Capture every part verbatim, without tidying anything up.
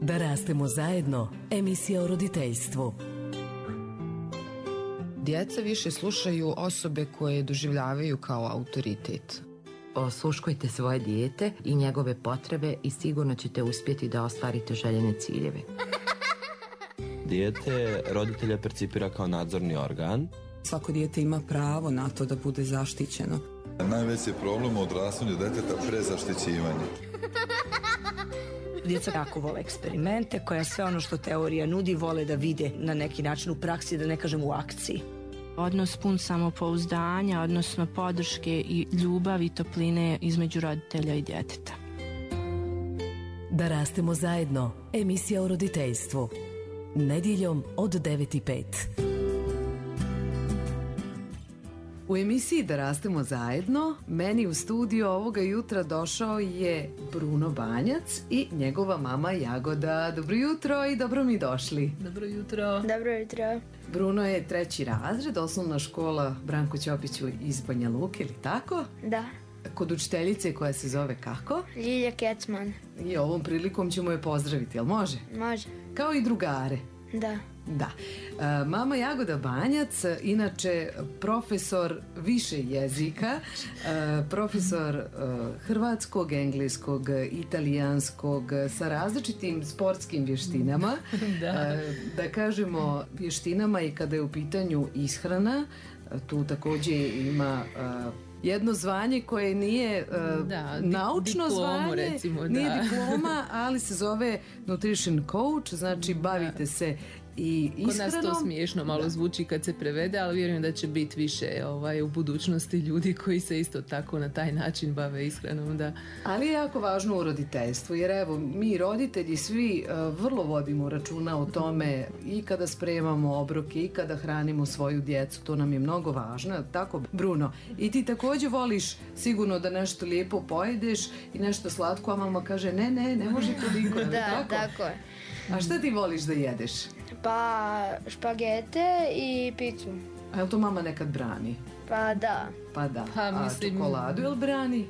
Da rastemo zajedno, emisija o roditeljstvu. Djeca više slušaju osobe koje doživljavaju kao autoritet. Osluškujte svoje dijete i njegove potrebe i sigurno ćete uspjeti da ostvarite željene ciljeve. Dijete roditelja percipira kao nadzorni organ. Svako dijete ima pravo na to da bude zaštićeno. Najveći problem u odrastanju djeteta prezaštićivanje. Djeca jako vole eksperimente, koja sve ono što teorija nudi vole da vide na neki način u praksi, da ne kažem u akciji. Odnos pun samopouzdanja, odnosno podrške i ljubavi i topline između roditelja i djeteta. Da rastemo zajedno, emisija o roditeljstvu. Nedjeljom od devet i pet. U emisiji Da rastemo zajedno, meni u studiju ovoga jutra došao je Bruno Banjac i njegova mama Jagoda. Dobro jutro i dobro mi došli. Dobro jutro. Dobro jutro. Bruno je treći razred, osnovna škola Branko Ćopiću iz Banja Luke, ili tako? Da. Kod učiteljice koja se zove kako? Ljilja Kecman. I ovom prilikom ćemo je pozdraviti, jel može? Može. Kao i drugare. Da. Da. E, mama Jagoda Banjac, inače profesor više jezika, e, profesor e, hrvatskog, engleskog, italijanskog, sa različitim sportskim vještinama. Da. E, da kažemo vještinama i kada je u pitanju ishrana, tu također ima e, jedno zvanje koje nije uh, da, naučno diplomu, zvanje, recimo, nije da. diploma, ali se zove nutrition coach, znači bavite se i ishranom. Kod nas to smiješno malo da. zvuči kad se prevede, ali vjerujem da će biti više ovaj, u budućnosti ljudi koji se isto tako na taj način bave ishranom. Da. Ali je jako važno u roditeljstvu, jer evo, mi roditelji svi uh, vrlo vodimo računa o tome i kada spremamo obroke i kada hranimo svoju djecu, to nam je mnogo važno. Tako, Bruno, i ti također voliš sigurno da nešto lijepo pojedeš i nešto slatko, a mama kaže ne, ne, ne može toliko. Da, tako? tako je. A šta ti voliš da jedeš? Pa špagete i picu. A je li to mama nekad brani? Pa da. Pa da. Pa, mislim, a čokoladu je li brani?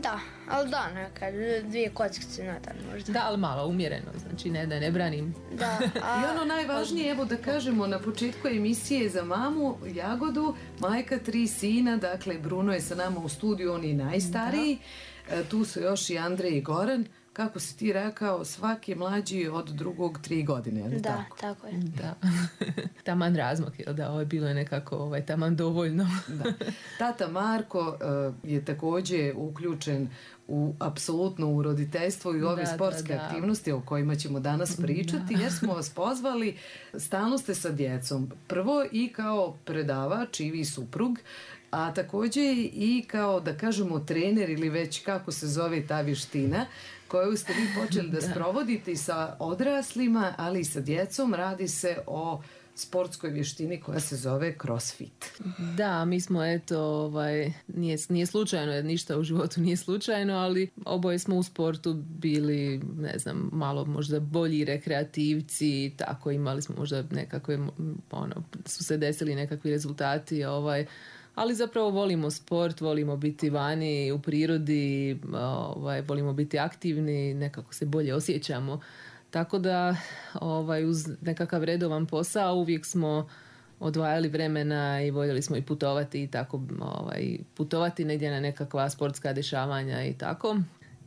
Da, ali da, nekad dvije kockice na dan možda. Da, ali malo umjereno, znači ne da ne branim. Da. A, I ono najvažnije, evo da kažemo na početku emisije za mamu Jagodu, majka tri sina, dakle Bruno je sa nama u studiju, on je najstariji, e, tu su još i Andrej i Goran. Kako si ti rekao, svaki mlađi od drugog tri godine, je li da, tako? tako je. Da. Taman razmak, jel da, ovo je bilo nekako ovaj, taman dovoljno. Da. Tata Marko uh, je također uključen u apsolutno u roditeljstvo i ove da, sportske da, da. aktivnosti o kojima ćemo danas pričati, da. Jer smo vas pozvali, stalno ste sa djecom. Prvo i kao predavač i vi suprug, a također i kao, da kažemo, trener ili već kako se zove ta vještina koju ste vi počeli da, da sprovodite i sa odraslima, ali i sa djecom. Radi se o sportskoj vještini koja se zove CrossFit. Da, mi smo eto, ovaj, nije, nije slučajno, jer ništa u životu nije slučajno, ali oboje smo u sportu bili, ne znam, malo možda bolji rekreativci, tako imali smo možda nekakve, ono, su se desili nekakvi rezultati, ovaj, ali zapravo volimo sport, volimo biti vani u prirodi, ovaj, volimo biti aktivni, nekako se bolje osjećamo. Tako da ovaj, uz nekakav redovan posao uvijek smo odvajali vremena i voljeli smo i putovati i tako ovaj, putovati negdje na nekakva sportska dešavanja i tako.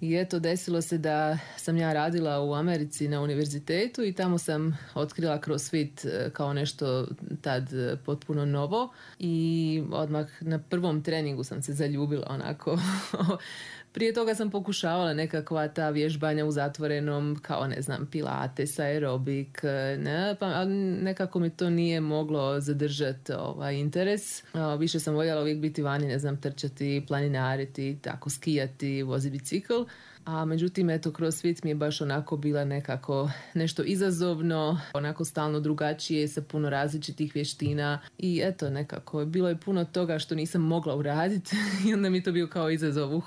I eto, desilo se da sam ja radila u Americi na univerzitetu i tamo sam otkrila CrossFit kao nešto tad potpuno novo i odmah na prvom treningu sam se zaljubila onako. Prije toga sam pokušavala nekakva ta vježbanja u zatvorenom, kao ne znam, pilates, aerobik, ne, pa nekako mi to nije moglo zadržati ovaj interes. Više sam voljela uvijek biti vani, ne znam, trčati, planinariti, tako skijati, vozi bicikl. A međutim, eto, CrossFit mi je baš onako bila nekako nešto izazovno, onako stalno drugačije, sa puno različitih vještina i eto, nekako bilo je puno toga što nisam mogla uraditi i onda mi to bio kao izazov, uh,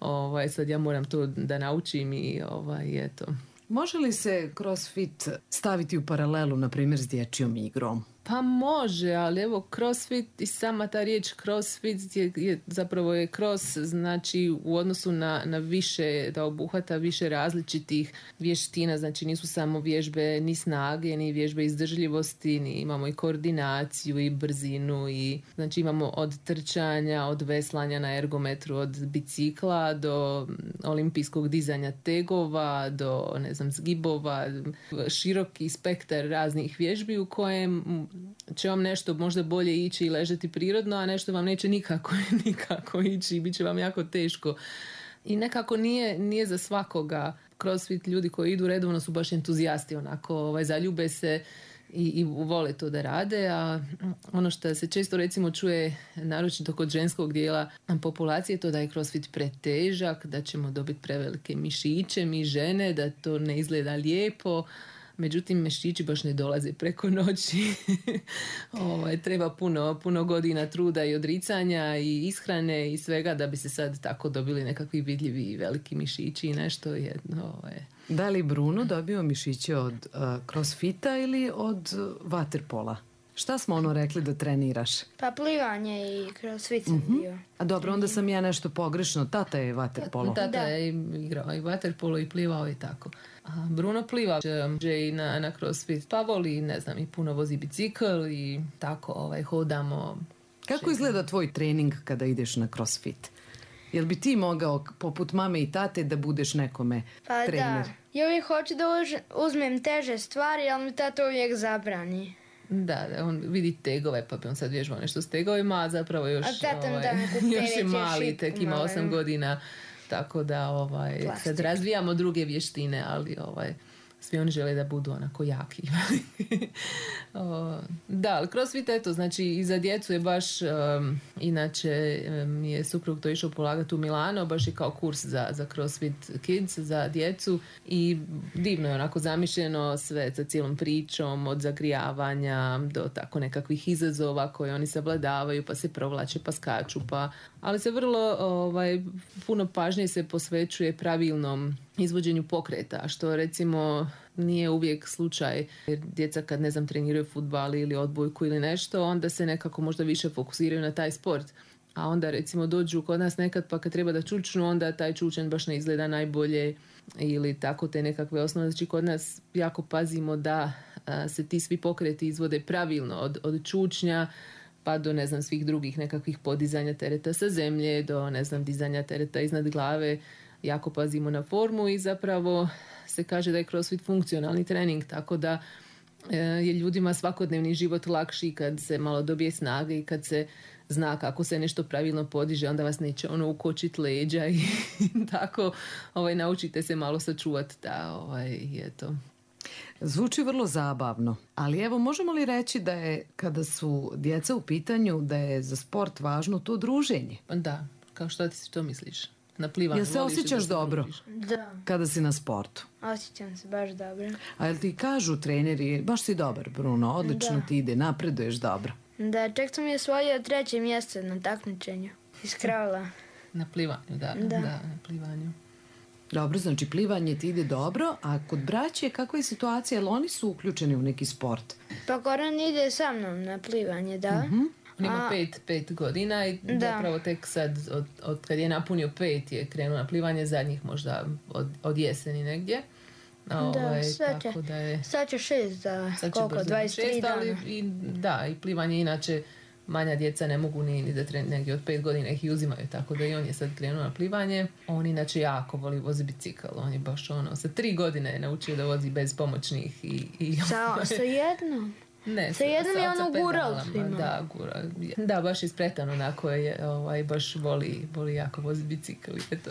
ovaj, sad ja moram to da naučim i ovaj, eto. Može li se CrossFit staviti u paralelu, na primjer, s dječjom igrom? Pa može, ali evo crossfit i sama ta riječ crossfit je, je zapravo je cross, znači u odnosu na, na više, da obuhvata više različitih vještina, znači nisu samo vježbe ni snage, ni vježbe izdržljivosti, ni imamo i koordinaciju i brzinu i znači imamo od trčanja, od veslanja na ergometru, od bicikla do olimpijskog dizanja tegova, do ne znam zgibova, široki spektar raznih vježbi u kojem će vam nešto možda bolje ići i ležati prirodno, a nešto vam neće nikako, nikako ići i bit će vam jako teško. I nekako nije, nije za svakoga. CrossFit ljudi koji idu redovno su baš entuzijasti, onako ovaj, zaljube se i, i vole to da rade, a ono što se često recimo čuje, naročito kod ženskog dijela populacije, to da je CrossFit pretežak, da ćemo dobiti prevelike mišiće, mi žene, da to ne izgleda lijepo. Međutim, mišići baš ne dolaze preko noći. Ovo, treba puno, puno godina truda i odricanja i ishrane i svega da bi se sad tako dobili nekakvi vidljivi veliki mišići i nešto jedno. Ovo je. Da li Bruno dobio mišiće od uh, crossfita ili od uh, waterpola? Šta smo ono rekli da treniraš? Pa plivanje i crossfit sam uh-huh. bio. A dobro, onda sam ja nešto pogrešno. Tata je waterpolo. Tata da. je igrao i waterpolo i plivao i tako. A Bruno pliva že i na, na crossfit. Pa voli, ne znam, i puno vozi bicikl i tako ovaj, hodamo. Kako Še... izgleda tvoj trening kada ideš na crossfit? Jel bi ti mogao, poput mame i tate, da budeš nekome pa trener? Da. Ja uvijek hoću da uzmem teže stvari, ali mi tata uvijek zabrani. Da, da, on vidi tegove, pa bi on sad vježbao nešto s tegovima, a zapravo još, ovaj, još je mali, tek ima osam godina, tako da ovaj, sad razvijamo druge vještine, ali ovaj, svi oni žele da budu onako jaki. o, da, ali CrossFit, eto, znači i za djecu je baš, um, inače um, je suprug to išao polagati u Milano, baš je kao kurs za, za CrossFit Kids, za djecu i divno je onako zamišljeno sve sa cijelom pričom, od zagrijavanja do tako nekakvih izazova koje oni savladavaju, pa se provlače, pa skaču, pa, ali se vrlo ovaj, puno pažnje se posvećuje pravilnom izvođenju pokreta, što recimo nije uvijek slučaj, jer djeca kad ne znam treniraju fudbal ili odbojku ili nešto, onda se nekako možda više fokusiraju na taj sport, a onda recimo dođu kod nas nekad pa kad treba da čučnu, onda taj čučen baš ne izgleda najbolje ili tako te nekakve osnove. Znači kod nas jako pazimo da a, se ti svi pokreti izvode pravilno od, od čučnja pa do ne znam svih drugih nekakvih podizanja tereta sa zemlje, do ne znam dizanja tereta iznad glave. Jako pazimo na formu i zapravo se kaže da je CrossFit funkcionalni trening, tako da je ljudima svakodnevni život lakši kad se malo dobije snage i kad se zna kako se nešto pravilno podiže, onda vas neće ono ukočiti leđa i tako ovaj, naučite se malo sačuvati da ovaj, je to. Zvuči vrlo zabavno, ali evo možemo li reći da je kada su djeca u pitanju da je za sport važno to druženje? Da, kao što ti to misliš? Na plivanju. Jel se osjećaš dobro? Da. Kada si na sportu? Osjećam se baš dobro. A jel ti kažu treneri, baš si dobar Bruno, odlično da. Ti ide, napreduješ dobro? Da, čak sam je osvojio treće mjesto na takmičenju iz kravla. Na plivanju, da, da. Da, na plivanju. Dobro, znači plivanje ti ide dobro, a kod braće kakva je situacija, jel oni su uključeni u neki sport? Pa Koran ide sa mnom na plivanje, da. Uh-huh. On ima a, pet, pet godina i da. Zapravo tek sad, od, od kad je napunio pet, je krenuo na plivanje zadnjih možda od, od jeseni negdje. Da, ovaj, sad, će, da je, sad će šest za koliko, dvadeset tri dana. Ali i, da, i plivanje inače manja djeca ne mogu ni, ni da tren, negdje od pet godina ih i uzimaju, tako da i on je sad krenuo na plivanje. On inače jako voli vozi bicikl, on je baš ono, sa tri godine je naučio da vozi bez pomoćnih i... i sa, sa jednom? Ne, sa jednom je ono gural svima. Da, gural. Da, baš ispretan onako je, ovaj, baš voli, voli jako vozi bicikl i to.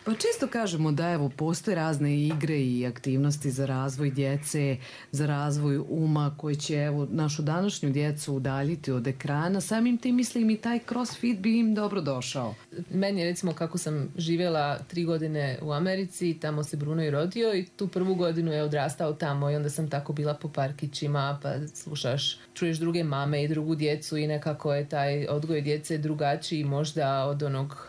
Pa često kažemo da evo postoje razne igre i aktivnosti za razvoj djece, za razvoj uma koji će evo našu današnju djecu udaljiti od ekrana. Samim tim mislim i taj CrossFit bi im dobro došao. Meni je recimo kako sam živjela tri godine u Americi, tamo se Bruno i rodio i tu prvu godinu je odrastao tamo i onda sam tako bila po parkićima pa slušaš, čuješ druge mame i drugu djecu i nekako je taj odgoj djece drugačiji možda od onog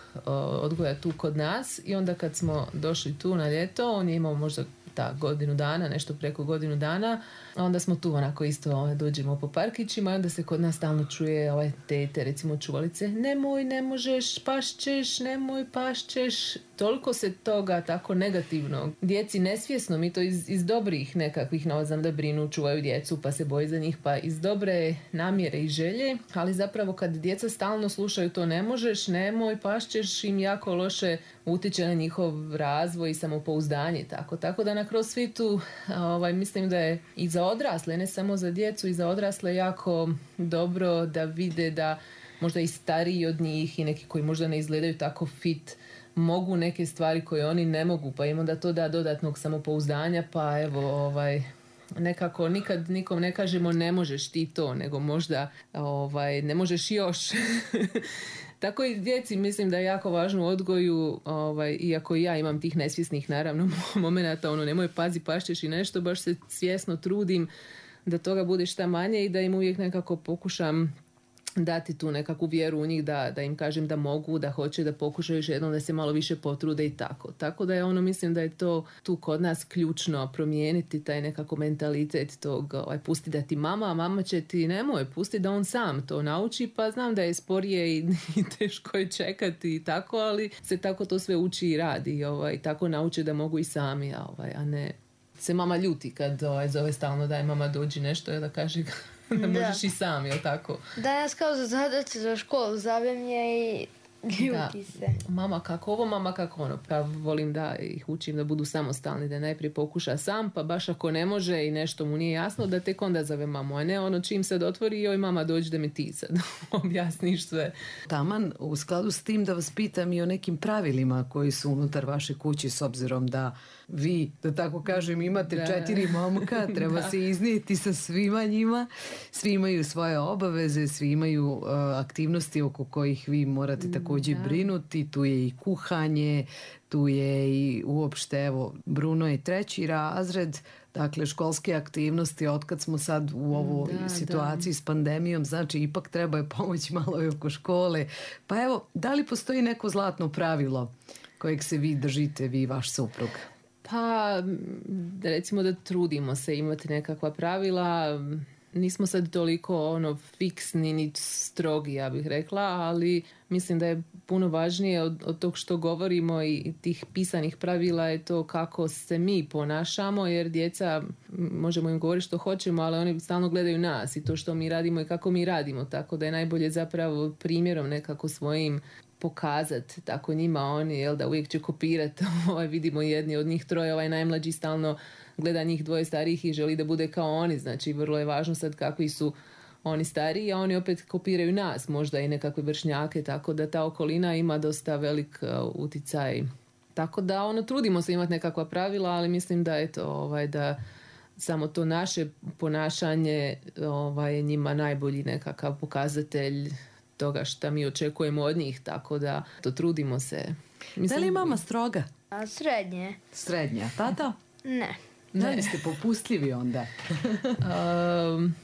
odgoja tu kod nas i onda kad smo došli tu na ljeto, on je imao možda šta, godinu dana, nešto preko godinu dana. Onda smo tu onako isto ovaj, dođemo po parkićima i onda se kod nas stalno čuje ovaj tete, recimo čuvalice, nemoj, ne možeš, pašćeš, nemoj, pašćeš. Toliko se toga tako negativno. Djeci nesvjesno, mi to iz, iz dobrih nekakvih, no, znam da brinu, čuvaju djecu pa se boji za njih, pa iz dobre namjere i želje, ali zapravo kad djeca stalno slušaju to ne možeš, nemoj, pašćeš, im jako loše utječe na njihov razvoj i samopouzdanje. Tako, tako da na CrossFitu ovaj, mislim da je i za odrasle, ne samo za djecu, i za odrasle jako dobro da vide da možda i stariji od njih i neki koji možda ne izgledaju tako fit mogu neke stvari koje oni ne mogu, pa im onda to da dodatnog samopouzdanja, pa evo ovaj nekako nikad nikom ne kažemo ne možeš ti to, nego možda ovaj ne možeš još. Tako i djeci mislim da je jako važno u odgoju, ovaj, iako ja imam tih nesvjesnih naravno momenata, ono nemoj pazi pašćeš i nešto, baš se svjesno trudim da toga bude šta manje i da im uvijek nekako pokušam dati tu nekakvu vjeru u njih da, da im kažem da mogu, da hoće, da pokušaju još jednom, da se malo više potrude i tako. Tako da je ono, mislim da je to tu kod nas ključno promijeniti taj nekako mentalitet tog, ovaj, pusti da ti mama, a mama će ti nemoj, pusti da on sam to nauči, pa znam da je sporije i, i teško je čekati i tako, ali se tako to sve uči i radi i ovaj, tako nauče da mogu i sami, a, ovaj, a ne se mama ljuti kad ovaj, zove stalno daj mama dođi nešto i da kaže da možeš i sam, jel tako? Danas kao za zadaće za školu zavemlje i ljuti da. se. Mama kako ovo, mama kako ono. Pa volim da ih učim da budu samostalni, da najprije pokuša sam, pa baš ako ne može i nešto mu nije jasno, da tek onda zove mamu, a ne ono čim sad otvori, joj mama dođi da mi ti sad objasniš sve. Taman, u skladu s tim da vas pitam i o nekim pravilima koji su unutar vaše kuće, s obzirom da vi, da tako kažem, imate da. četiri momka, treba se iznijeti sa svima njima, svi imaju svoje obaveze, svi imaju uh, aktivnosti oko kojih vi morate također da. brinuti, tu je i kuhanje, tu je i uopšte, evo, Bruno je treći razred, dakle školske aktivnosti, otkad smo sad u ovoj da, situaciji da. s pandemijom, znači ipak treba je pomoći malo i oko škole. Pa evo, da li postoji neko zlatno pravilo kojeg se vi držite, vi i vaš suprug? Pa, recimo da trudimo se imati nekakva pravila. Nismo sad toliko ono fiksni ni strogi, ja bih rekla, ali mislim da je puno važnije od, od tog što govorimo i tih pisanih pravila je to kako se mi ponašamo, jer djeca, možemo im govoriti što hoćemo, ali oni stalno gledaju nas i to što mi radimo i kako mi radimo, tako da je najbolje zapravo primjerom nekako svojim pokazati tako njima, oni jel da uvijek će kopirati. Ovaj, vidimo jedni od njih troje, ovaj najmlađi stalno gleda njih dvoje starijih i želi da bude kao oni, znači vrlo je važno sad kakvi su oni stariji, a oni opet kopiraju nas, možda i nekakve vršnjake, tako da ta okolina ima dosta velik uh, uticaj. Tako da ono, trudimo se imati nekakva pravila, ali mislim da eto, ovaj, da samo to naše ponašanje ovaj, je njima najbolji nekakav pokazatelj toga što mi očekujemo od njih, tako da to trudimo se. Mislim, da li je mama stroga? A, srednje. Srednja. Tata? Ne. Da li ste popustljivi onda? um,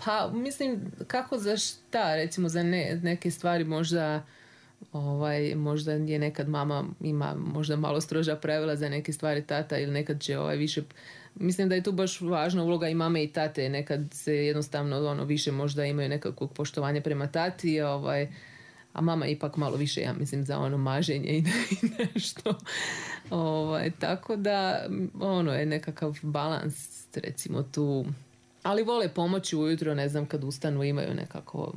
pa mislim kako za šta, recimo za ne, neke stvari možda ovaj, možda je nekad mama ima možda malo stroža pravila, za neke stvari tata ili nekad će ovaj više. Mislim da je tu baš važna uloga i mame i tate, nekad se jednostavno ono više možda imaju nekakvog poštovanja prema tati, ovaj, a mama ipak malo više, ja mislim, za ono maženje i nešto. Ovaj, tako da ono je nekakav balans recimo tu, ali vole pomoći ujutro, ne znam, kad ustanu imaju nekako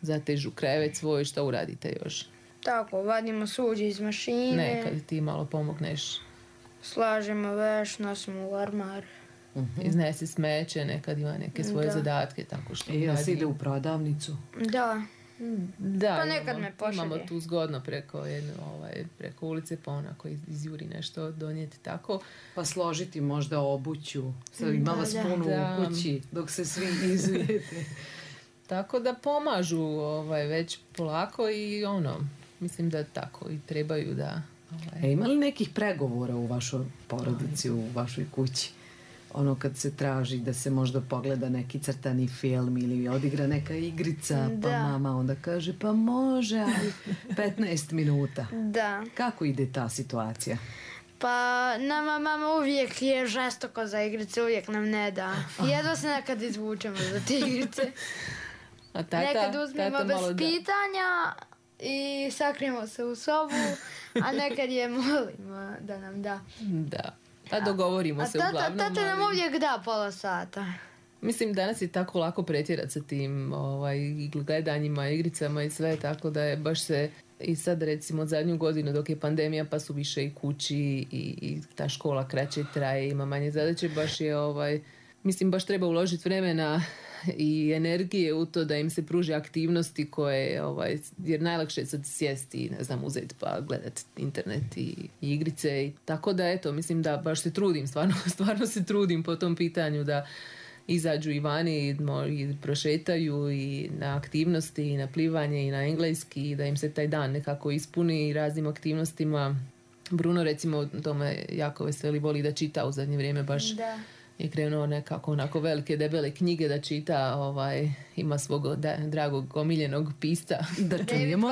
zatežu krevet svoj, šta uradite još? Tako, vadimo suđe iz mašine. Nekad ti malo pomogneš. Slažemo veš, nosimo u armar. Uh-huh. Iznesi smeće, nekad ima neke svoje da. zadatke, tako što. I ja si ide u prodavnicu? Da. Da, pa nekad imamo, me pošalje. Imamo tu zgodno preko, jedno, ovaj, preko ulice, pa onako izjuri nešto donijeti tako. Pa složiti možda obuću, sad ima vas puno u kući dok se svi izujete. Tako da pomažu ovaj, već polako i ono, mislim da tako i trebaju da... Ovaj. E, ima li nekih pregovora u vašoj porodici, u vašoj kući? Ono kad se traži da se možda pogleda neki crtani film ili odigra neka igrica, pa da. mama onda kaže pa može, ali petnaest minuta. Da. Kako ide ta situacija? Pa nama mama uvijek je žestoko za igrice, uvijek nam ne da. Jedva se nekad izvučemo za te igrice. A tata, nekad uzmemo tata bez malo pitanja i sakrijemo se u sobu, a nekad je molimo da nam da. Da, a dogovorimo a se tata, uglavnom. A tata nam ali... uvijek da pola sata. Mislim, danas je tako lako pretjerati sa tim ovaj, gledanjima, igricama i sve, tako da je baš se i sad recimo zadnju godinu dok je pandemija pa su više i kući i, i ta škola kraće traje, ima manje zadaće, baš je ovaj, mislim baš treba uložiti vremena i energije u to da im se pruži aktivnosti koje, ovaj, jer najlakše je sad sjesti i ne znam uzeti pa gledati internet i, i igrice i tako da eto, mislim da baš se trudim, stvarno, stvarno se trudim po tom pitanju da izađu i vani i, i prošetaju i na aktivnosti i na plivanje i na engleski i da im se taj dan nekako ispuni raznim aktivnostima. Bruno recimo tome jako veseli, voli da čita u zadnje vrijeme, baš da. Je krenuo nekako onako velike debele knjige da čita, ovaj, ima svog da, dragog omiljenog pisca. Da čujemo.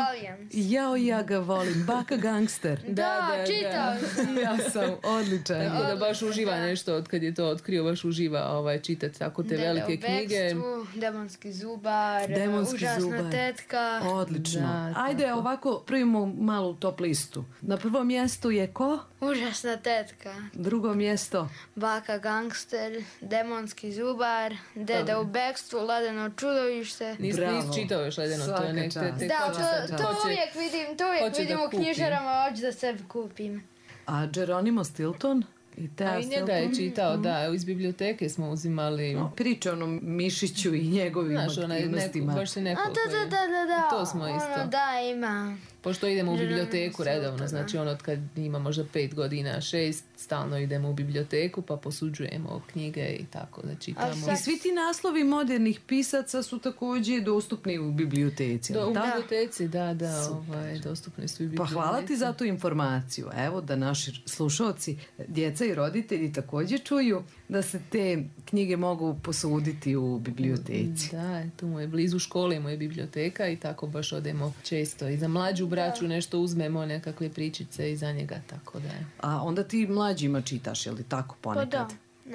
Jao, ja ga volim, Baka gangster. Da, da, da čitao sam. Ja sam odličan. Tako da baš uživa da. Nešto od kad je to otkrio, baš uživa ovaj, čitati tako te Dede velike knjige. Bekstvu, Demonski zubar, Demonski Užasna zubar. tetka. Odlično. Da, ajde tako. Ovako prvimo malu top listu. Na prvom mjestu je ko? Užasna tetka. Drugo mjesto? Baka gangster, Demonski zubar, Dede u bekstvu, Ledeno čudovište. Nis, nis čitao još Ledeno, to je nek, te, te da, to, to hoće, uvijek vidim, to uvijek vidim u knjižarama, hoću da sebi kupim. A Geronimo Stilton? I, A i njega je čitao, mm. da, iz biblioteke smo uzimali. No, priče onom Mišiću i njegovim Znaš, aktivnostima. Znaš, baš se neko A da, da, da, da, da. To smo isto. Ono, da, ima. Pošto idemo u biblioteku redovno, znači ono kad ima možda pet godina, šest, stalno idemo u biblioteku pa posuđujemo knjige i tako da čitamo. I svi ti naslovi modernih pisaca su također dostupni u biblioteci. Do, u da. biblioteci, da, da, ovaj, dostupni su i biblioteci. Pa hvala ti za tu informaciju. Evo da naši slušalci, djeca i roditelji također čuju da se te knjige mogu posuditi u biblioteci. Da, tu mu je blizu škole, mu je biblioteka i tako baš odemo često i za mlađu braću nešto uzmemo, nekakve pričice iza njega, tako da je. A onda ti mlađima čitaš, je li tako ponekad? Pa da,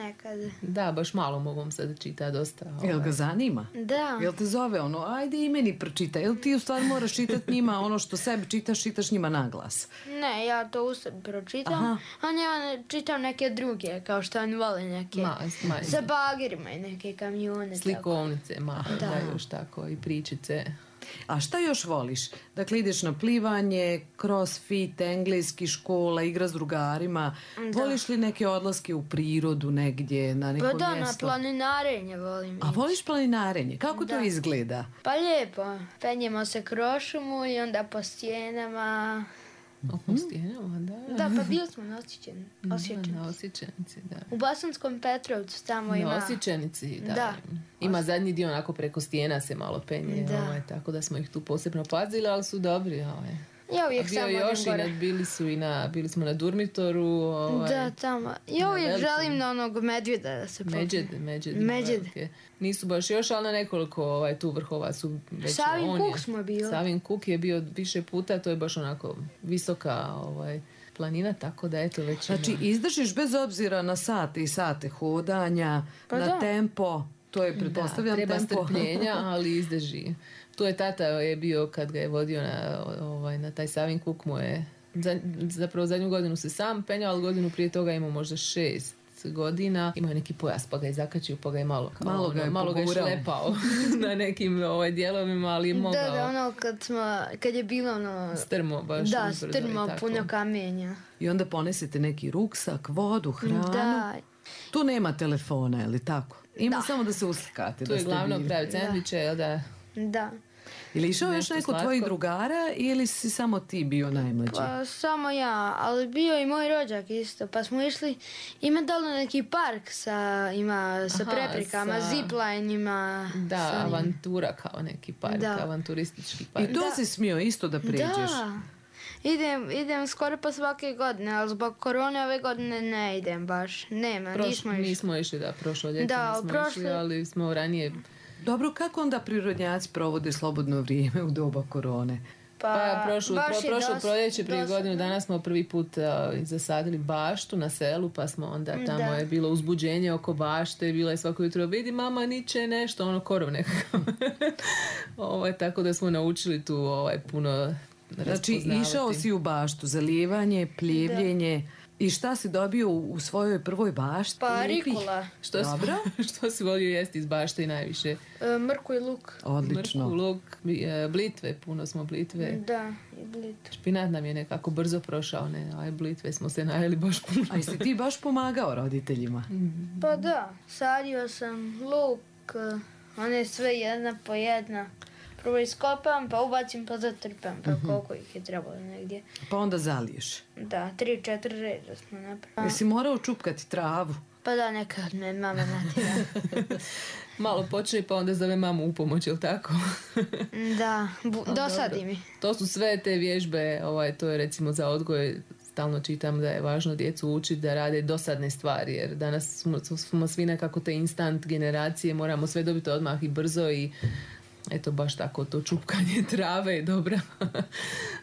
nekad. Da, baš malo mogu sad čita dosta. Ovaj. Jel ga zanima? Da. Jel te zove ono, ajde i meni pročita, jel ti u stvari moraš čitati njima ono što sebi čitaš, čitaš njima na glas? Ne, ja to u sebi pročitam, Aha. a ja čitam neke druge, kao što oni vole neke, ma, ma, sa bagirima i neke kamione. Slikovnice, ma, da. da još tako, i pričice. A šta još voliš? Dakle, ideš na plivanje, crossfit, engleski, škola, igra s drugarima. Da. Voliš li neke odlaske u prirodu negdje, na neko mjesto? Pa da, mjesto? na planinarenje volim. A voliš planinarenje? Kako da. to izgleda? Pa lijepo. Penjemo se kroz šumu i onda po stijenama. O, po stijenama, da. Da, pa bili smo na Osjećenici. Da, na Osjećenici, da. U Bosanskom Petrovcu tamo ima... Na Osjećenici, da. da. Ima zadnji dio onako preko stijena se malo penje, ovaj, tako da smo ih tu posebno pazili, ali su dobri. Ovaj. Ja uvijek samo još i na, bili, su i na, bili smo na Durmitoru. Ovaj, da, tamo. Ja uvijek velikim, želim na onog medvjeda da se popne. Međed, međed. Međed. Nisu baš još, ali na nekoliko ovaj, tu vrhova su već... Savin on Kuk je, smo bili. Savin Kuk je bio više puta, to je baš onako visoka ovaj, planina, tako da eto već... Znači, ima... izdržiš bez obzira na sate i sate hodanja, pa na da. tempo, to je, pretpostavljam, da, treba tempo. strpljenja, ali izdrži. Tu je tata je bio kad ga je vodio na, ovaj, na taj Savin Kuk, mu je za, zapravo zadnju godinu se sam penjao, ali godinu prije toga imao možda šest godina. Imao je neki pojas pa ga je zakačio, pa ga je malo, kao, malo ga je, ono, malo ga je šlepao na nekim ovaj, dijelovima, ali je mogao. Da, da, ono kad, smo, kad je bilo ono... Strmo baš. Da, strmo, puno kamenja. I onda ponesete neki ruksak, vodu, hranu. Da. Tu nema telefona, je li tako? Ima da. samo da se uslikate. Tu je glavno pravi sendviče, jel da? Da. Ili išao još neko slatko. Tvojih drugara ili si samo ti bio najmlađi? Pa samo ja, ali bio i moj rođak isto. Pa smo išli, ima dole neki park sa, ima, sa Aha, preprekama, sa... zipline ima. Da, sa avantura kao neki park, da. avanturistički park. I to da. si smio isto da pređeš? Da. Idem, idem skoro pa svake godine, ali zbog korone ove godine ne idem baš. Nema, Proš, nismo išli. Nismo išli, da, prošlo ljeto da, nismo prošli... išli, ali smo ranije... Dobro, kako onda prirodnjaci provode slobodno vrijeme u doba korone? Pa, pa prošlo, baš pro, je prošlo dos- proljeće prije dosadno. godinu dana smo prvi put uh, zasadili baštu na selu, pa smo onda tamo Da. je bilo uzbuđenje oko bašte, bila je svako jutro, vidi mama niče nešto, ono korov nekako. ovaj, tako da smo naučili tu ovaj, puno Znači, raspoznavati. išao si u baštu, zalijevanje, pljevljenje. I šta si dobio u, u svojoj prvoj bašti? Pa Lijepih? rikula, Što si, Dobro. što si volio jesti iz bašte najviše? e, mrku i luk. Odlično. Mrku, luk, bi- e, blitve, puno smo blitve. Da, i blit. Špinat nam je nekako brzo prošao, ne, aj blitve smo se najeli baš puno. A jesi ti baš pomagao roditeljima? Pa da, sadio sam luk, e, one sve jedna po jedna. Prvo iskopam, pa ubacim, pa zatrpam, pa koliko ih je trebalo negdje. Pa onda zaliješ. Da, tri, četiri reda smo napravili. Jesi morao čupkati travu? Pa da, nekad me mama natjera. Malo počne pa onda zove mamu u pomoć, jel tako? Da, bu- A, dosadi dobro. mi. To su sve te vježbe, ovaj, to je recimo za odgoj, stalno čitam da je važno djecu učiti da rade dosadne stvari, jer danas smo, smo svi nekako te instant generacije, moramo sve dobiti odmah i brzo i eto baš tako to čupkanje trave je dobra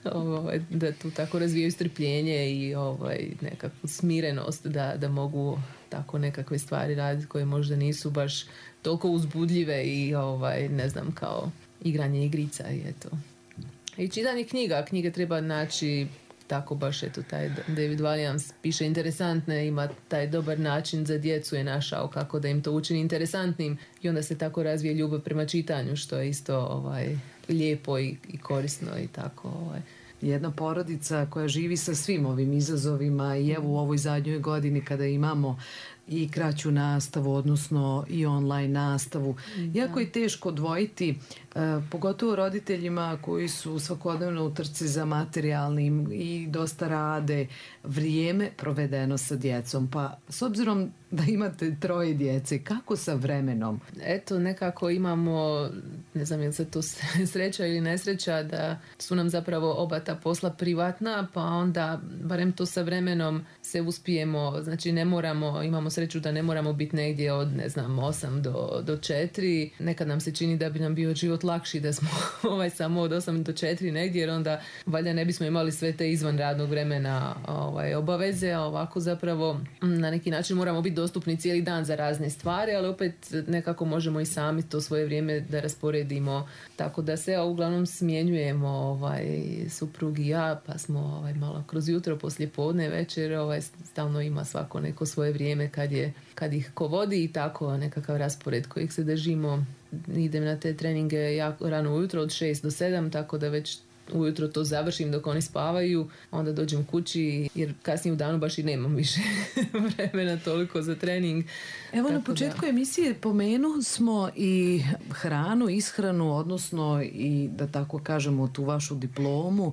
ovaj, da tu tako razvijaju strpljenje i ovaj, nekakvu smirenost da, da mogu tako nekakve stvari raditi koje možda nisu baš toliko uzbudljive i ovaj, ne znam kao igranje igrica i eto. I čitanje knjiga, knjige treba naći tako baš eto taj David Walliams piše interesantne, ima taj dobar način za djecu je našao kako da im to učini interesantnim i onda se tako razvije ljubav prema čitanju što je isto ovaj, lijepo i, i korisno i tako ovaj. Jedna porodica koja živi sa svim ovim izazovima i evo u ovoj zadnjoj godini kada imamo i kraću nastavu, odnosno i online nastavu. Da. Jako je teško odvojiti, uh, pogotovo roditeljima koji su svakodnevno u trci za materijalnim i dosta rade, vrijeme provedeno sa djecom. Pa s obzirom da imate troje djece, kako sa vremenom? Eto, nekako imamo, ne znam je li se to sreća ili nesreća, da su nam zapravo oba ta posla privatna, pa onda barem to sa vremenom se uspijemo, znači ne moramo, imamo sreću da ne moramo biti negdje od, ne znam, osam do, do četiri. Nekad nam se čini da bi nam bio život lakši da smo ovaj, samo od osam do četiri negdje, jer onda valjda ne bismo imali sve te izvan radnog vremena ovaj, obaveze, a ovako zapravo na neki način moramo biti dostupni cijeli dan za razne stvari, ali opet nekako možemo i sami to svoje vrijeme da rasporedimo, tako da se uglavnom smjenjujemo ovaj, suprug i ja, pa smo ovaj, malo kroz jutro, poslije podne, večer, ovaj, stalno ima svako neko svoje vrijeme kad, je, kad ih ko vodi i tako nekakav raspored kojeg se držimo. Idem na te treninge jako rano ujutro od šest do sedam, tako da već ujutro to završim dok oni spavaju, onda dođem kući jer kasnije u danu baš i nemam više vremena toliko za trening. Evo tako na početku da. emisije pomenu smo i hranu, ishranu, odnosno i da tako kažemo tu vašu diplomu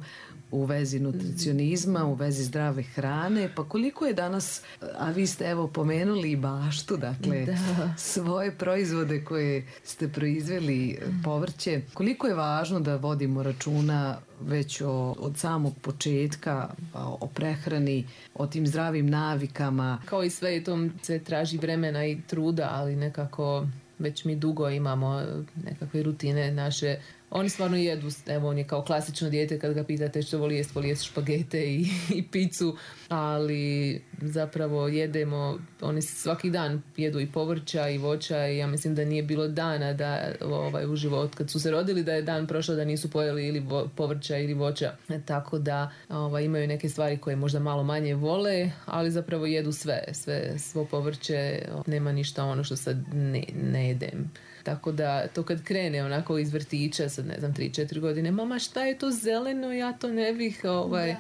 u vezi nutricionizma, u vezi zdrave hrane, pa koliko je danas, a vi ste evo pomenuli i baštu, dakle da. svoje proizvode koje ste proizveli, povrće, koliko je važno da vodimo računa već o, od samog početka o, o prehrani, o tim zdravim navikama. Kao i sve, to se traži vremena i truda, ali nekako već mi dugo imamo nekakve rutine naše. Oni stvarno jedu, evo on je kao klasično dijete kad ga pitate što voli jest, voli jest špagete i, i picu, ali zapravo jedemo, oni svaki dan jedu i povrća i voća i ja mislim da nije bilo dana da ovaj, u životu kad su se rodili da je dan prošao da nisu pojeli ili vo, povrća ili voća, tako da ovaj, imaju neke stvari koje možda malo manje vole, ali zapravo jedu sve, sve svo povrće, nema ništa ono što sad ne, ne jedem. Tako da to kad krene onako iz vrtića, sad ne znam, tri četiri godine, mama šta je to zeleno, ja to ne bih, ovaj,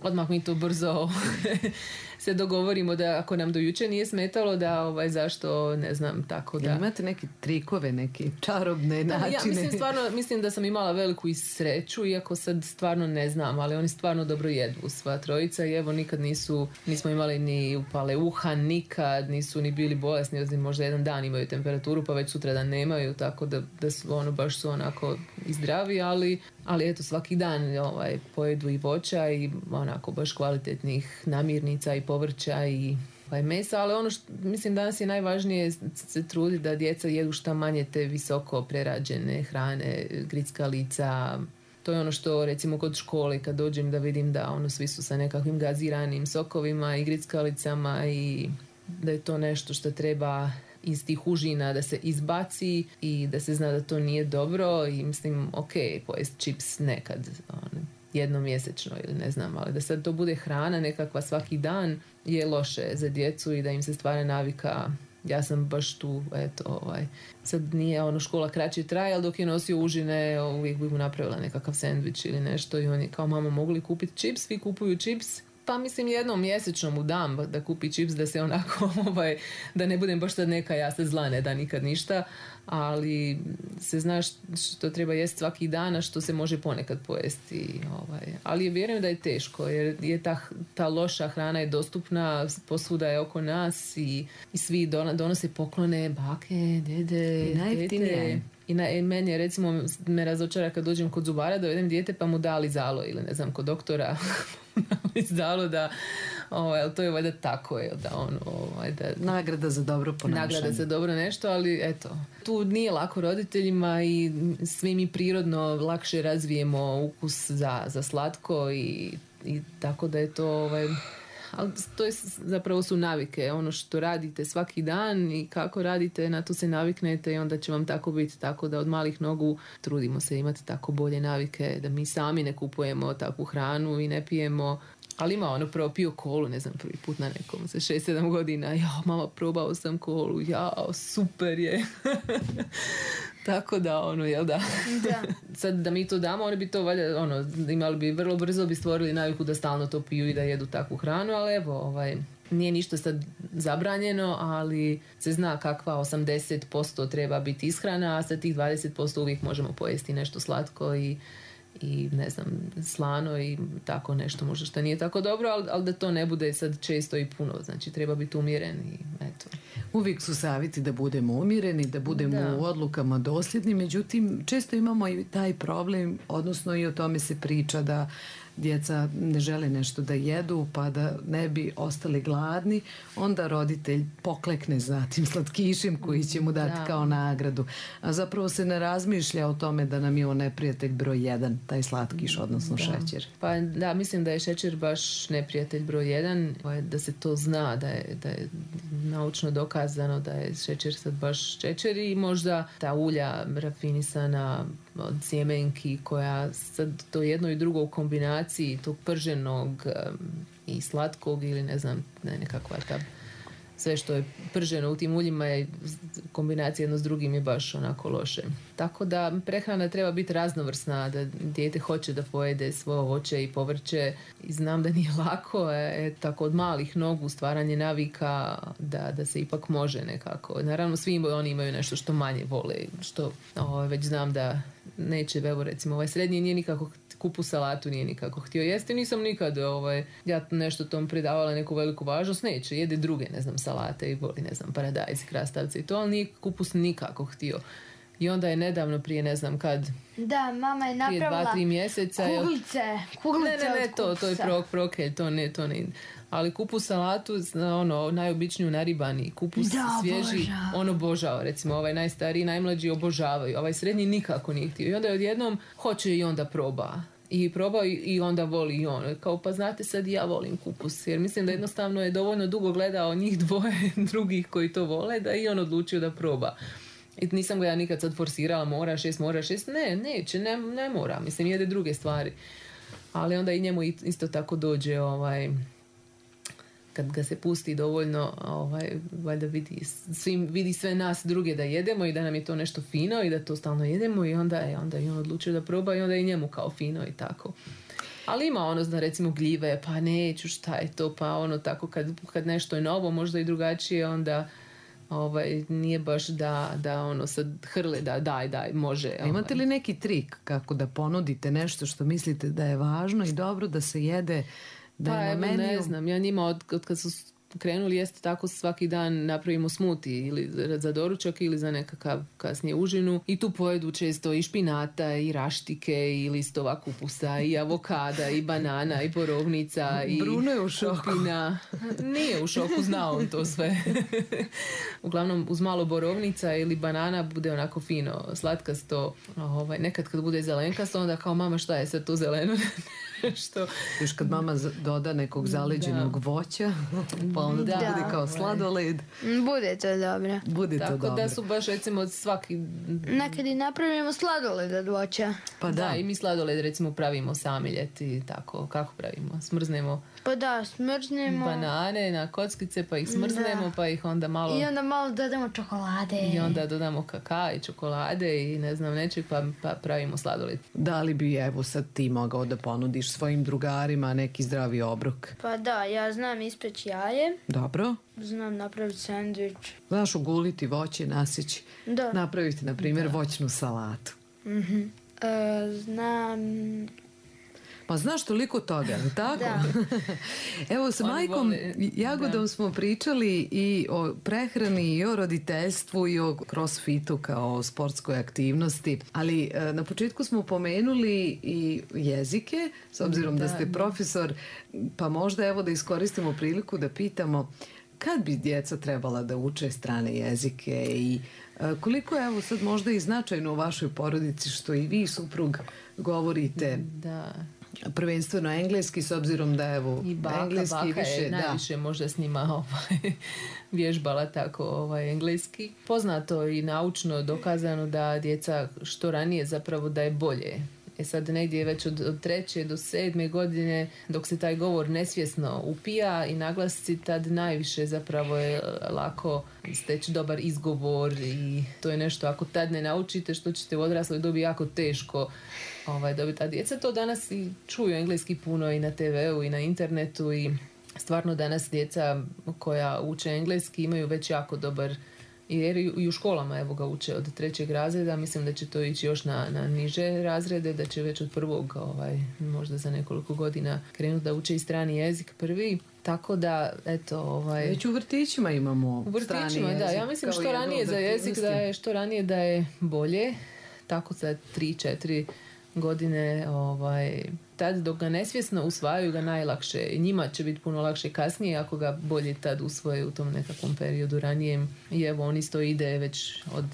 odmah mi to brzo se dogovorimo da ako nam do jučer nije smetalo da ovaj, zašto, ne znam, tako da... Jel imate neke trikove, neke čarobne da, načine? Ja mislim, stvarno, mislim da sam imala veliku i sreću, iako sad stvarno ne znam, ali oni stvarno dobro jedu, sva trojica i evo nikad nisu, nismo imali ni upale uha, nikad, nisu ni bili bolesni, osim možda jedan dan imaju temperaturu, pa već sutra dan nemaju, tako da, da su ono, baš su onako i zdravi, ali, ali eto svaki dan ovaj, pojedu i voća i onako baš kvalitetnih namirnica i povrća i ovaj, mesa, ali ono što mislim danas je najvažnije se trudi da djeca jedu šta manje te visoko prerađene hrane, grickalica, To je ono što recimo kod škole kad dođem da vidim da ono svi su sa nekakvim gaziranim sokovima i grickalicama i da je to nešto što treba iz tih užina da se izbaci i da se zna da to nije dobro i mislim ok, pojest čips nekad ono, jednom mjesečno ili ne znam, ali da sad to bude hrana nekakva svaki dan je loše za djecu i da im se stvara navika. Ja sam baš tu, eto, ovaj, sad nije ono škola kraće traje, ali dok je nosio užine, uvijek bi mu napravila nekakav sendvič ili nešto i on je kao, mama, mogu li kupiti čips? Svi kupuju čips. Pa mislim jednom mjesečno mu dam da kupi čips, da se onako, ovaj, da ne budem baš sad neka, ja se zla ne da nikad ništa, ali se zna što treba jesti svaki dan, a što se može ponekad pojesti. Ovaj. Ali vjerujem da je teško, jer je ta, ta loša hrana je dostupna, posvuda je oko nas i, i svi donose poklone, bake, dede, i najjeftinije. I na, meni je recimo me razočara kad dođem kod zubara, dovedem dijete pa mu dali zalo ili ne znam kod doktora izdalo da ovaj, to je valjda tako je da on ovaj, da, nagrada za dobro ponašanje. Nagrada za dobro nešto, ali eto, tu nije lako roditeljima i svi mi prirodno lakše razvijemo ukus za, za slatko i, i tako da je to ovaj, ali to je zapravo su navike, ono što radite svaki dan i kako radite, na to se naviknete i onda će vam tako biti, tako da od malih nogu trudimo se imati tako bolje navike, da mi sami ne kupujemo takvu hranu i ne pijemo. Ali ima ono, prvo pio kolu, ne znam, prvi put na nekom, sa šest sedam godina, ja, mama, probao sam kolu, ja, super je. Tako da, ono, jel da? Da. Sad da mi to damo, oni bi to valjda, ono, imali bi, vrlo brzo bi stvorili naviku da stalno to piju i da jedu takvu hranu, ali evo, ovaj, nije ništa sad zabranjeno, ali se zna kakva osamdeset posto treba biti ishrana, a sa tih dvadeset posto uvijek možemo pojesti nešto slatko i i ne znam, slano i tako nešto možda što nije tako dobro, ali, ali da to ne bude sad često i puno, znači treba biti umjeren i eto. Uvijek su savjeti da budemo umjereni, da budemo da. u odlukama dosljedni, međutim često imamo i taj problem, odnosno i o tome se priča da djeca ne žele nešto da jedu pa da ne bi ostali gladni, onda roditelj poklekne za tim slatkišem koji će mu dati da. kao nagradu. A zapravo se ne razmišlja o tome da nam je on neprijatelj broj jedan, taj slatkiš, odnosno da. šećer. Pa da, mislim da je šećer baš neprijatelj broj jedan, da se to zna, da je, da je naučno dokazano da je šećer sad baš šećer i možda ta ulja rafinisana od sjemenki koja sad to jedno i drugo u kombinaciji tog prženog um, i slatkog ili ne znam, ne, nekakva ta sve što je prženo u tim uljima je kombinacija jedno s drugim je baš onako loše. Tako da prehrana treba biti raznovrsna, da dijete hoće da pojede svoje voće i povrće i znam da nije lako, je tako od malih nogu stvaranje navika da, da se ipak može nekako. Naravno svi oni imaju nešto što manje vole, što o, već znam da neće, evo recimo ovaj srednji nije nikako kupu salatu nije nikako htio jesti, nisam nikad ovaj, ja nešto tom pridavala neku veliku važnost, neće, jede druge, ne znam, salate i voli, ne znam, paradajz, krastavce i to, ali nije kupus nikako htio. I onda je nedavno prije ne znam kad da, mama je napravila prije dva, tri mjeseca kuglice, kuglice ne, ne, ne, to, to je prok, prokelj, to ne, to ne. Ali kupus salatu, ono, najobičniju naribani, kupus da, svježi, obožava. on obožava, recimo ovaj najstariji, najmlađi obožavaju, ovaj srednji nikako nije htio. I onda je odjednom hoće i onda proba. I probao i onda voli i on. Kao pa znate sad ja volim kupus. Jer mislim da jednostavno je dovoljno dugo gledao njih dvoje drugih koji to vole da i on odlučio da proba. I nisam ga ja nikad sad forsirala, mora šest, mora šest. Ne, neće, ne, ne mora. Mislim, jede druge stvari. Ali onda i njemu isto tako dođe ovaj... kad ga se pusti dovoljno, ovaj, valjda vidi, svim, vidi sve nas druge da jedemo i da nam je to nešto fino i da to stalno jedemo i onda je onda i on odlučio da proba i onda i njemu kao fino i tako. Ali ima ono, zna, recimo gljive, pa neću, šta je to, pa ono tako kad, kad nešto je novo, možda i drugačije, onda ovaj, nije baš da, da ono sad hrle, da daj, daj, može. Ovaj. Imate li neki trik kako da ponudite nešto što mislite da je važno i dobro da se jede? Da pa evo, ne znam, ja njima od, od kad su krenuli jeste tako svaki dan napravimo smuti ili za doručak ili za nekakav kasnije užinu i tu pojedu često i špinata i raštike i listova kupusa i avokada i banana i borovnica i Bruno je u šoku. kupina. Nije u šoku, zna on to sve. Uglavnom uz malo borovnica ili banana bude onako fino slatkasto. Ovaj, nekad kad bude zelenkasto onda kao mama šta je sad to zeleno? Što? Još kad mama doda nekog zaleđenog da. voća, pa onda da. to bude kao sladoled. Bude to dobro. Bude Tako to dobro. da su baš recimo svaki... Nekad i napravimo sladoled od voća. Pa da. da, i mi sladoled recimo pravimo sami ljeti, tako. Kako pravimo? Smrznemo... Pa da, smrznemo... banane na kockice, pa ih smrznemo, da. pa ih onda malo... I onda malo dodamo čokolade. I onda dodamo kakao i čokolade i ne znam nečeg, pa, pa pravimo sladoled. Da li bi evo sad ti mogao da ponudiš svojim drugarima neki zdravi obrok? Pa da, ja znam ispeći jaje. Dobro. Znam napraviti sandvič. Znaš uguliti voće, nasići. Da. Napraviti, na primjer, da. voćnu salatu. Mhm. E, znam... Pa znaš toliko toga, tako? Da. Evo, sa majkom vole, Jagodom da. smo pričali i o prehrani i o roditeljstvu i o crossfitu kao sportskoj aktivnosti, ali na početku smo pomenuli i jezike, s obzirom da, da ste profesor, pa možda evo da iskoristimo priliku da pitamo kad bi djeca trebala da uče strane jezike i koliko je evo sad možda i značajno u vašoj porodici što i vi suprug govorite da. prvenstveno engleski, s obzirom da evo i baka, engleski baka više, je najviše da. možda s njima ovaj, vježbala tako ovaj, engleski. Poznato i naučno dokazano da djeca što ranije zapravo da je bolje. E sad negdje već od, od treće do sedme godine dok se taj govor nesvjesno upija i naglasci, tad najviše zapravo je lako steći dobar izgovor i to je nešto ako tad ne naučite što ćete u odrasloj dobi jako teško ovaj, dobiti. A djeca to danas i čuju engleski puno i na te veu i na internetu i stvarno danas djeca koja uče engleski imaju već jako dobar jer i u školama evo ga uče od trećeg razreda, mislim da će to ići još na, na niže razrede, da će već od prvog ovaj, možda za nekoliko godina krenuti da uče i strani jezik prvi, tako da eto ovaj... Već u vrtićima imamo u vrtićima, strani jezik. Da, ja mislim što ranije za jezik da je, što ranije da je bolje, tako za tri, četiri godine ovaj, tad dok ga nesvjesno usvajaju ga najlakše. Njima će biti puno lakše kasnije ako ga bolje tad usvoje u tom nekakvom periodu ranijem. I evo on isto ide već od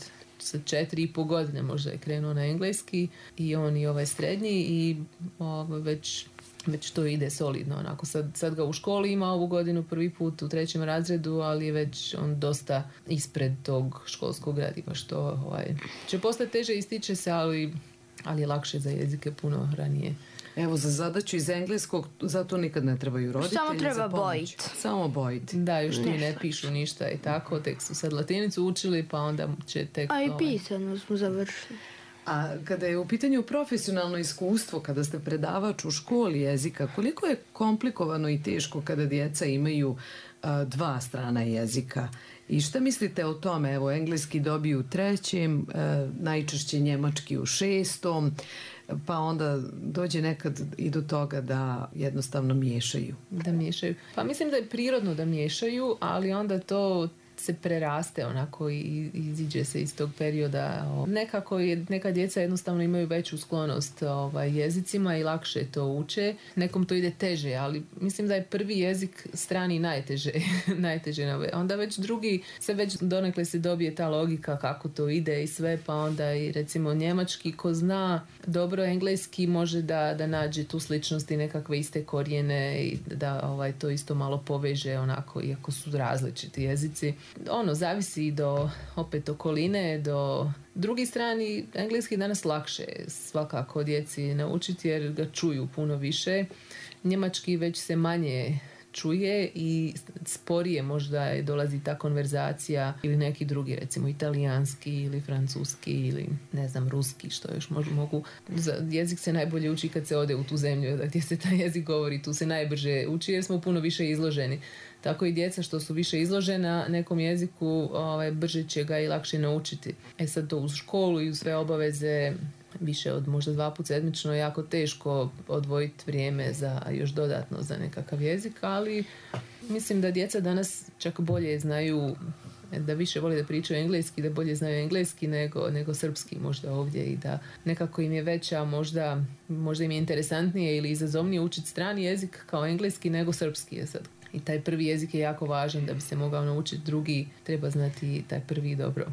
četiri i po godine možda je krenuo na engleski i on i ovaj srednji i ovaj, već već to ide solidno. Onako sad, sad ga u školi ima ovu godinu prvi put u trećem razredu, ali je već on dosta ispred tog školskog gradiva što ovaj, će postati teže ističe se, ali ali je lakše za jezike puno ranije. Evo, za zadaću iz engleskog, zato nikad ne trebaju roditelji. Samo treba bojiti. Samo bojiti. Da, još ti ne pišu ništa i tako, tek su sad latinicu učili, pa onda će tek... A i pisano smo završili. A kada je u pitanju profesionalno iskustvo, kada ste predavač u školi jezika, koliko je komplikovano i teško kada djeca imaju a, dva strana jezika? I šta mislite o tome? Evo, engleski dobiju u trećem, a, najčešće njemački u šestom, pa onda dođe nekad i do toga da jednostavno miješaju. Da miješaju. Pa mislim da je prirodno da miješaju, ali onda to se preraste onako i iziđe se iz tog perioda. Nekako je, neka djeca jednostavno imaju veću sklonost ovaj, jezicima i lakše to uče. Nekom to ide teže, ali mislim da je prvi jezik strani najteže. najteže. Onda već drugi se već donekle se dobije ta logika kako to ide i sve, pa onda i recimo njemački ko zna dobro engleski može da, da nađe tu sličnost i nekakve iste korijene i da ovaj, to isto malo poveže onako, iako su različiti jezici. Ono, zavisi do opet okoline, do drugi strani, engleski danas lakše svakako djeci naučiti jer ga čuju puno više. Njemački već se manje čuje i sporije možda dolazi ta konverzacija ili neki drugi, recimo italijanski ili francuski ili ne znam, ruski, što još možda mogu. Jezik se najbolje uči kad se ode u tu zemlju gdje se taj jezik govori, tu se najbrže uči jer smo puno više izloženi. Tako i djeca što su više izložena nekom jeziku, ovaj, brže će ga i lakše naučiti. E sad to uz školu i uz sve obaveze više od možda dva put sedmično je jako teško odvojiti vrijeme za još dodatno za nekakav jezik, ali mislim da djeca danas čak bolje znaju, da više vole da pričaju engleski, da bolje znaju engleski nego, nego srpski možda ovdje i da nekako im je veća, možda, možda im je interesantnije ili izazovnije učiti strani jezik kao engleski nego srpski je sad. I taj prvi jezik je jako važan da bi se mogao naučiti drugi, treba znati taj prvi dobro.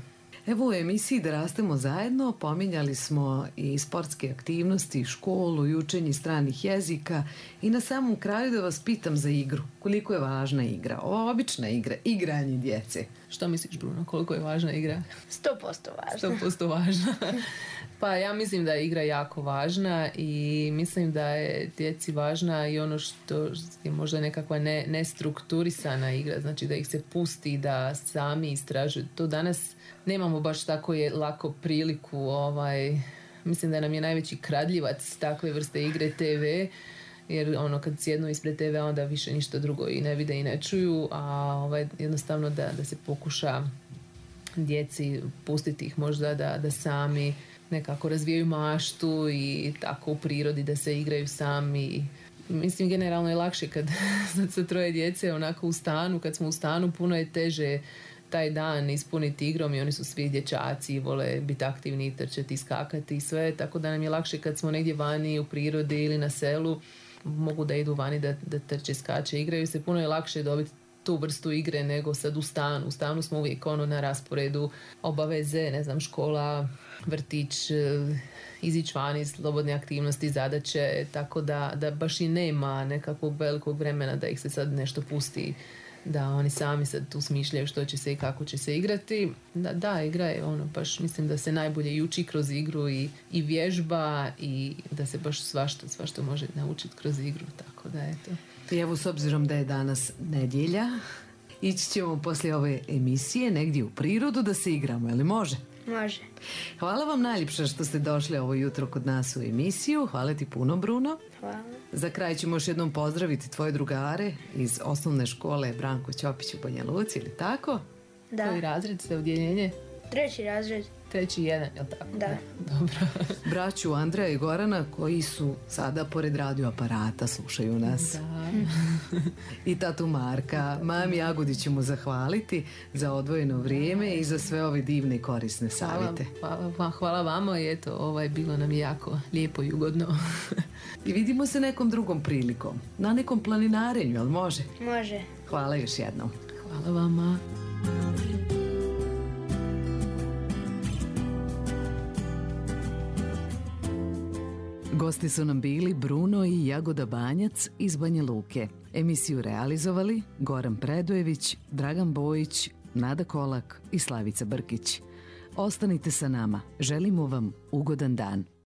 Evo u emisiji Da rastemo zajedno pominjali smo i sportske aktivnosti, školu i učenje stranih jezika i na samom kraju da vas pitam za igru. Koliko je važna igra? Ova obična igra, igranje djece. Što misliš, Bruno, koliko je važna igra? sto posto važna. sto posto važna. Pa ja mislim da je igra jako važna i mislim da je djeci važna i ono što je možda nekakva ne, nestrukturisana igra, znači da ih se pusti da sami istražuju. To danas nemamo baš tako je lako priliku, ovaj, mislim da nam je najveći kradljivac takve vrste igre te ve, jer ono kad sjednu ispred te ve onda više ništa drugo i ne vide i ne čuju, a ovaj, jednostavno da, da se pokuša djeci pustiti ih možda da, da sami nekako razvijaju maštu i tako u prirodi da se igraju sami. Mislim, generalno je lakše kad sa troje djece onako u stanu, kad smo u stanu puno je teže taj dan ispuniti igrom i oni su svi dječaci i vole biti aktivni, trčati, skakati i sve, tako da nam je lakše kad smo negdje vani u prirodi ili na selu, mogu da idu vani da, da trče, skače, igraju se, puno je lakše dobiti tu vrstu igre nego sad u stanu. U stanu smo uvijek ono na rasporedu obaveze, ne znam, škola, vrtić, izići vani, slobodne aktivnosti, zadaće, tako da, da baš i nema nekakvog velikog vremena da ih se sad nešto pusti, da oni sami sad tu smišljaju što će se i kako će se igrati. Da, da, igra je ono, baš mislim da se najbolje i uči kroz igru i, i vježba i da se baš svašta, svašta može naučiti kroz igru, tako da eto. I evo, s obzirom da je danas nedjelja, ići ćemo poslije ove emisije negdje u prirodu da se igramo, je li može? Može. Hvala vam najljepše što ste došli ovo jutro kod nas u emisiju. Hvala ti puno, Bruno. Hvala. Za kraj ćemo još jednom pozdraviti tvoje drugare iz osnovne škole Branko Ćopić u Banja Luci, ili tako? Da. Koji razred ste, odjeljenje? Treći razred. Treći jedan, je li tako? Da. Dobro. Braću Andreja i Gorana koji su sada pored radioaparata, slušaju nas. Da. I tatu Marka. Mami Jagodi ćemo zahvaliti za odvojeno vrijeme i za sve ove divne i korisne savjete. Hvala, hvala, hvala vama i eto, ovaj, bilo nam je jako lijepo i ugodno. I vidimo se nekom drugom prilikom. Na nekom planinarenju, ali može? Može. Hvala još jednom. Hvala vama. Gosti su nam bili Bruno i Jagoda Banjac iz Banja Luke. Emisiju realizovali Goran Predojević, Dragan Bojić, Nada Kolak i Slavica Brkić. Ostanite sa nama. Želimo vam ugodan dan.